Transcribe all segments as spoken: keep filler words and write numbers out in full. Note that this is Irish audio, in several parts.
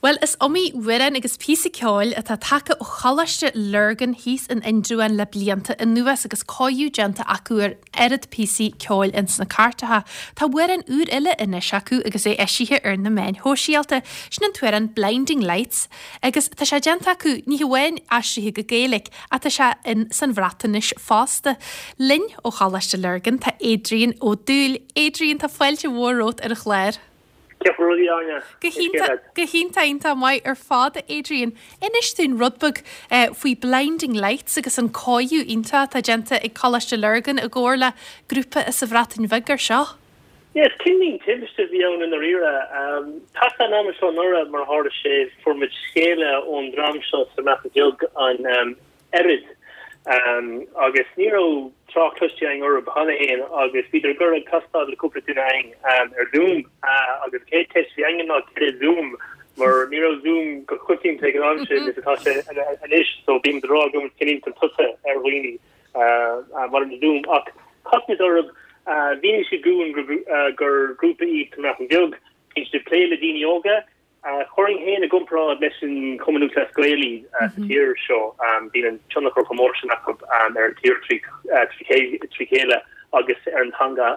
Bhuel, is iomaí amhrán agus píosa ceoil atá tagtha ó Choláiste Lurgan thíos in Indreabhán le blianta anuas agus cóiriú déanta acu ar oiread píosaí ceoil ins na cairteacha. Tá amhrán úr eile anois acu agus é eisithe ar na meáin shóisialta. Sin an t-amhrán Blinding Lights agus tá sé déanta acu ní hamháin aistrithe go Gaeilge ach tá sé in san Bhreatnais fosta. Linn ó Choláiste Lurgan tá Adrian Ó Dúill. Adrian tá fáilte mhór romhat ar an chlár. Cén chaoi a bhfuil, a Áine. Go hiontach go hiontach iontach maith ar fad Adrian. Inis dúinn rud beag eh, faoi Blinding Lights agus an cóiriú iontach atá déanta ag Coláiste Lurgan i gcomhar le grúpa as an Bhreatain Bheag ar seo. Yes, cineál timpiste a bhí ann i ndáiríre. Tá an am seo anuraidh mar tharla sé fuair muid scéala ón dream seo sa mBreatain Bheag an um, Ered um, agus ní raibh trácht cloiste againn orthu cheana féin agus bhíodar ag iarraidh castáil le cúpla duine againn um, ar Zoom uh, agus céad ceist a bhí againn ná cad é Zoom mar ní raibh Zoom go coitianta ag an am sin is atá sé anois so bhí rá go cinint an tusa ar dhaoine uh, mar an Zoom ach chas muid orthu uh, mhínigh siad dúinn gur, uh, gur grúpa iad sa mBreatain Bheag bhí siad plé le daoine óga Chuirfinn féin i gcomparáid leis an Cumann Lúthchleas Gael sa tír seo bíonn an tionchar chomh mór sin acu ar an tír trí chéile agus ar an teanga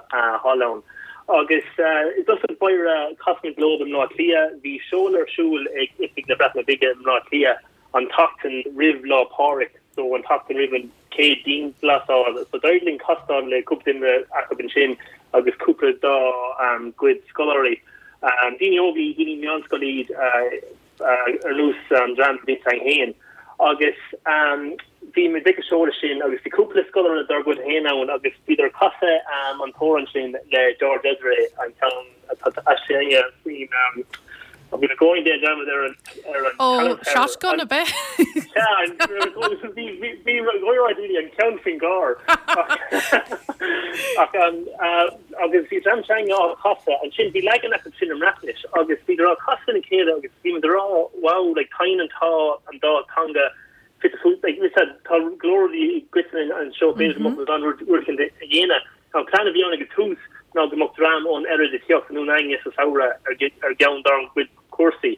thall ann. Agus i dtosach báire chas muid leo i mBleá Cliath, bhí seoladh ar siúl ag Oifig na Breataine Bige i mBleá Cliath an tseachtain roimh Lá Pádraig, so an tseachtain roimh an chéad dianghlasáil. So d'éirigh linn castáil le cúpla duine acu ansin agus cúpla dá gcuid scoláirí. Um, daoine óga daoine meánscoile ar nós an dream bhí féin agus um, bhí muid ag an seoladh sin agus bhí cúpla scoláire dár gcuid féin ann agus bhíodar ag casadh um, an t-amhrán sin le George Ezra an ceann aistrithe faoin bhí na going de ar an ar an Ó Shotgun a bheith Bhí an ceann faoin gcarr ach agus bhí dream s'againne á chasadh ansin bhí leagan acu sin i mBreatnais agus bhí á chasadh lena chéile agus bhí rá wow like tá an tá an dá teanga fit tá glór i gcoitinne anseo b'fhéidir an rud a dhéanamh An plean a bhí ann ag tús ná go mbeadh dream ón Ered ag teacht anonn chugainne sa samhradh ar cheann dár gcuid cúrsaí.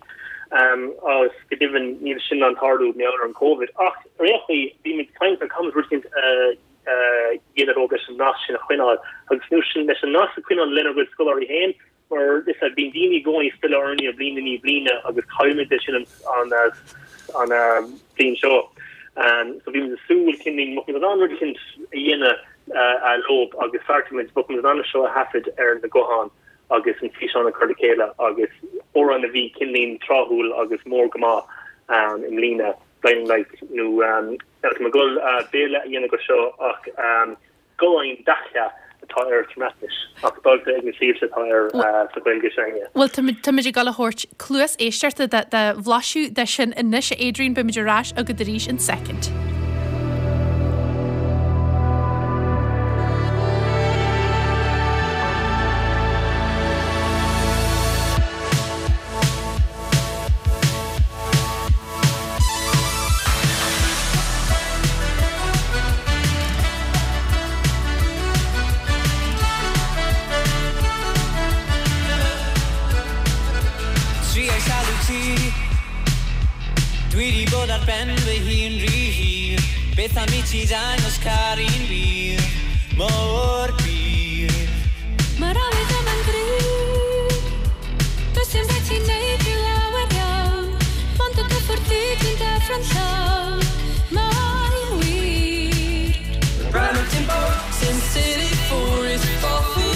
Um, agus go deimhin níl sin an tarlú mar gheall ar an COVID. Ach réchaí bhí muid caint ar conas rud dhéanamh leis an nasc sin a choinneáil agus nó sin leis an nasc a choinneáil lenár gcuid scoláirí féin mar is a bhíonn daoine i gcónaí ag filleadh orainn ó bhliain i bliana agus caithfimid sin an an an bliain seo. Um, so bhí súil cin mo an rud cin a dhéanamh uh, leo agus fearmuid bu an seo a thaifead ar na gutháin agus an físeán a chur le chéile agus amhrán a bhí cineál tráthúil agus mór go maith um, i mbliana Blinding Lights nó um, go uh, Béarla a dhéanamh go seo ach um, Golau'n Dallach atá ar sa mBreatnais ach dulta ag na sliabhte atá ar sa Ghaeilge s'againne. Well táimid ag gabháil a thabhairt cluas éisteachta de bhlaiseadh de sin anois Adrian beimid ar ais agat arís in soicind. Triais alw ti Dwi di bod ar ben fy hun rhy hir Beth am i ti dangos caru'n wir Mor bur Mae'r awydd yma'n gryf Does dim rhaid ti neud rhyw lawer iawn Mond o gyffwrdd di dwi'n deffro'n llawn Mae'n wir Sin City four is coffee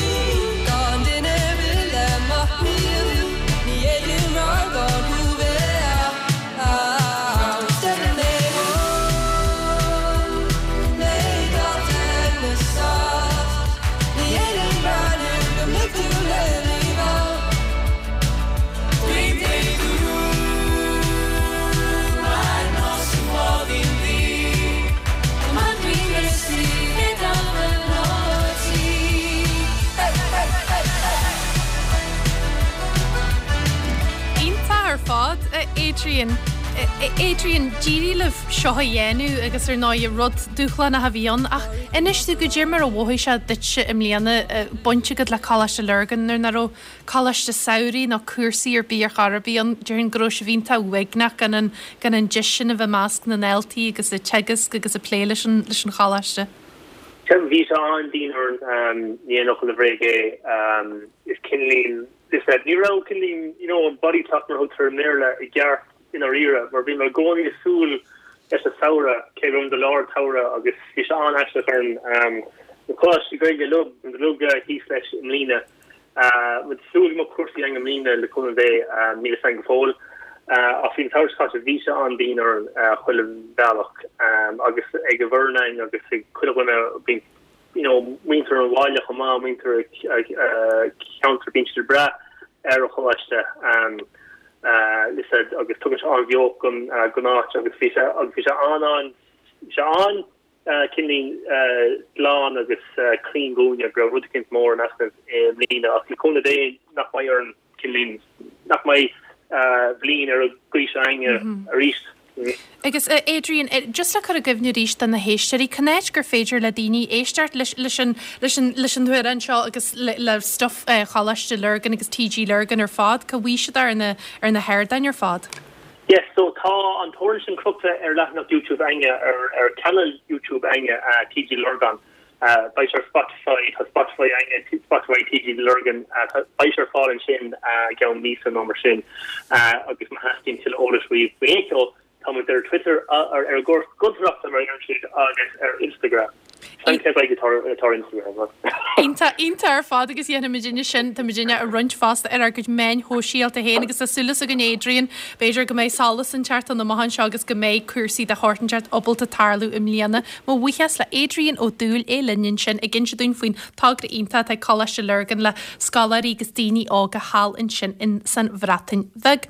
Yma dwi'n gysgu gyda fy nod ti Iontach ar fad Adrian. Adrian d'éirigh libh seo a dhéanamh agus ar ndóigh rud dúshlánach a bhí ann ach inis dúinn goidé mar a mhothaigh sé duitse i mbliana baint agat le Coláiste Lurgan nuair nach raibh coláiste samhraidh nó cúrsaí ar bith ar chor ar bith ann déarfainn go raibh sibh iontach uaigneach gan an gan an deis sin a bheith i measc na ndaltaí agus ag teagasc agus ag plé leis an leis an choláiste. Bhí sé an-dian orainn ní aon fhocal bréige é is cineáilín ní raibh cineáilín you know an body clock mar thugtar i mBéarla i gceart i ndáiríre mar bhí mé i gcónaí ag súil leis an samhradh cé go de lár samhradh agus bhí sé an-aisteach orainn na coláistí Gaeilge uilig thíos leis i mbliana Muid súil mo cúrsaí ag an mbliana le cúnamh Dé níl a fhios againn go fóill ach faoin samhradh caite bhí sé an-dian orainn chuile bhealach agus ag an bhfoireann agus ag chuile dhuine bíonn you know muintir an bhaile chomh maith muintir ceantar bíonn siad breá ar an choláiste agus tugann sé an-bheocht don don áit agus bhí sé agus bhí sé an an sé an cineáilín glan agus clean dúinne go raibh rud éicint mór in easnamh i mbliana ach le cúnamh Dé nach mbeidh ar an cineáilín nach mbeidh bliain ar an gcaoi seo againne arís. Agus Adrian, just le cur i gcuimhne arís do na héisteoirí, cá háit gur féidir le daoine éisteacht leis leis an leis an leis an amhrán seo agus le, le stuff Choláiste Lurgan agus TG Lurgan ar fad, cá bhfaighidh siad ar na ar na hardáin ar fad. Yes, so tá an t-amhrán sin crochta ar leathanach YouTube againne ar ar channel YouTube againne uh, TG Lurgan. Uh, beidh ar Spotify tá Spotify againne Spotify TG Lurgan uh, beidh ar fáil ansin uh, ceann míosa nó mar sin uh, agus má theastaíonn tuilleadh eolais faoi faoi tá muid ar Twitter ar ar Gort Gultracht mar ar siad agus ar Instagram. Tá Instagram. Iontach iontach ar fad agus dhéanfaimidne sin tá muidne a roinnt fosta ar ár gcuid meáin shóisialta féin agus tá súil againn Adrian b'fhéidir go mbeidh solas inteacht an amach anseo agus go mbeidh cúrsaí de shórt inteacht ábalta tarlú i mbliana. Mo bhuíochas le Adrian Ó Dúill é linn sin ag inse dúinn faoin togra iontach ag Coláiste Lurgan le scoláirí agus daoine óga thall ansin in san Bhreatain Bheag.